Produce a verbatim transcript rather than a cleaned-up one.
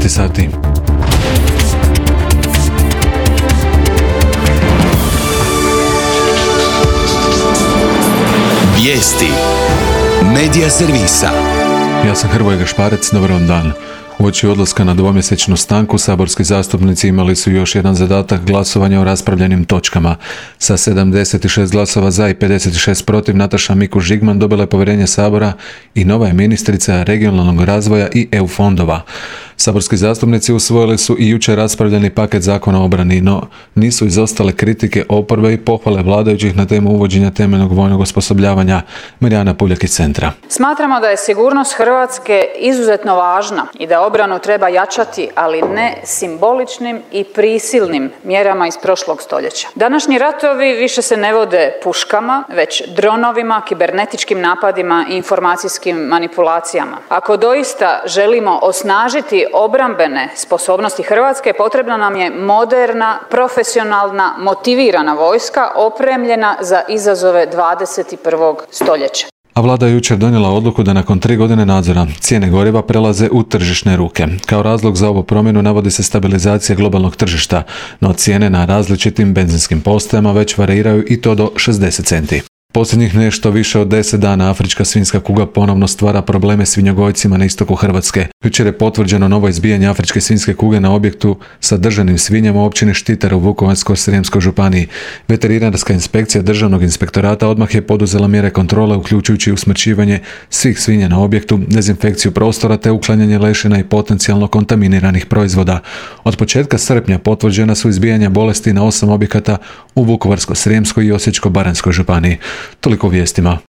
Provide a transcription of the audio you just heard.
jedanaest sati. Vijesti Medija servisa. Ja sam Hrvoje Gašparec, dobar vam dan. Uoči odlaska na dvomjesečnu stanku, saborski zastupnici imali su još jedan zadatak glasovanja o raspravljenim točkama. Sa sedamdeset šest glasova za i pedeset šest protiv, Nataša Mikuš Žigman dobila je povjerenje Sabora i nova je ministrica regionalnog razvoja i E U fondova. Saborski zastupnici usvojili su i jučer raspravljeni paket zakona o obrani, no nisu izostale kritike oporbe i pohvale vladajućih na temu uvođenja temeljnog vojnog osposobljavanja. Mirjana Puljak iz Centra. Smatramo da je sigurnost Hrvatske izuzetno važna i da obranu treba jačati, ali ne simboličnim i prisilnim mjerama iz prošlog stoljeća. Današnji ratovi više se ne vode puškama, već dronovima, kibernetičkim napadima i informacijskim manipulacijama. Ako doista želimo osnažiti obrambene sposobnosti Hrvatske, potrebna nam je moderna, profesionalna, motivirana vojska opremljena za izazove dvadeset prvog stoljeća. A vlada je jučer donijela odluku da nakon tri godine nadzora cijene goriva prelaze u tržišne ruke. Kao razlog za ovu promjenu navodi se stabilizacija globalnog tržišta, no cijene na različitim benzinskim postajama već variraju i to do šezdeset centi. Posljednjih nešto više od deset dana afrička svinjska kuga ponovno stvara probleme svinjogojcima na istoku Hrvatske. Jučer je potvrđeno novo izbijanje afričke svinjske kuge na objektu sa držanim svinjama u općini Štitar u Vukovarsko-srijemskoj županiji. Veterinarska inspekcija Državnog inspektorata odmah je poduzela mjere kontrole, uključujući usmrćivanje svih svinja na objektu, dezinfekciju prostora te uklanjanje lešina i potencijalno kontaminiranih proizvoda. Od početka srpnja potvrđena su izbijanja bolesti na osam objekata u Vukovarsko-srijemskoj i Osječko-baranjskoj županiji. Toliko o vijestima.